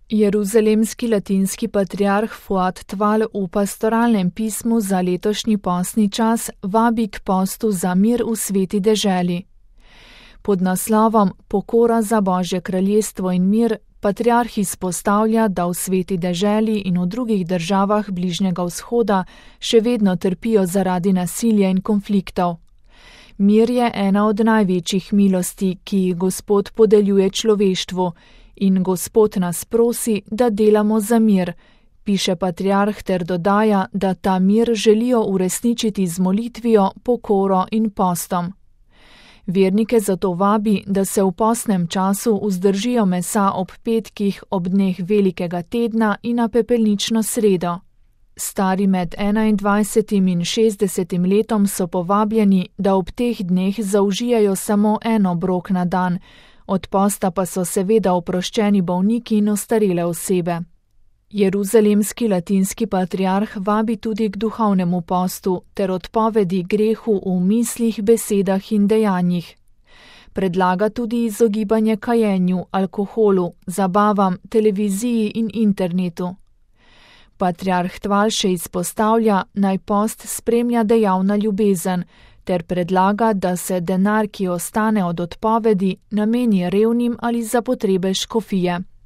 Jeruzalemski latinski patriarh Fuad Tval v pastoralnem pismu za letošnji postni čas vabi k postu za mir v sveti deželi. Pod naslovom Pokora za Božje kraljestvo in mir patriarh izpostavlja, da v sveti deželi in v drugih državah Bližnjega vzhoda še vedno trpijo zaradi nasilja in konfliktov. Mir je ena od največjih milosti, ki jih Gospod podeljuje človeštvu, in Gospod nas prosi, da delamo za mir, piše patriarh ter dodaja, da ta mir želijo uresničiti z molitvijo, pokoro in postom. Vernike zato vabi, da se v postnem času vzdržijo mesa ob petkih, ob dneh velikega tedna in na pepelnično sredo. Stari med 21 in 60 letom so povabljeni, da ob teh dneh zaužijajo samo en obrok na dan, od posta pa so seveda oproščeni bolniki in ostarele osebe. Jeruzalemski latinski patriarh vabi tudi k duhovnemu postu ter odpovedi grehu v mislih, besedah in dejanjih. Predlaga tudi izogibanje kajenju, alkoholu, zabavam, televiziji in internetu. Patriarh Tval še izpostavlja, naj post spremlja dejavna ljubezen, ter predlaga, da se denar, ki ostane od odpovedi, nameni revnim ali za potrebe škofije.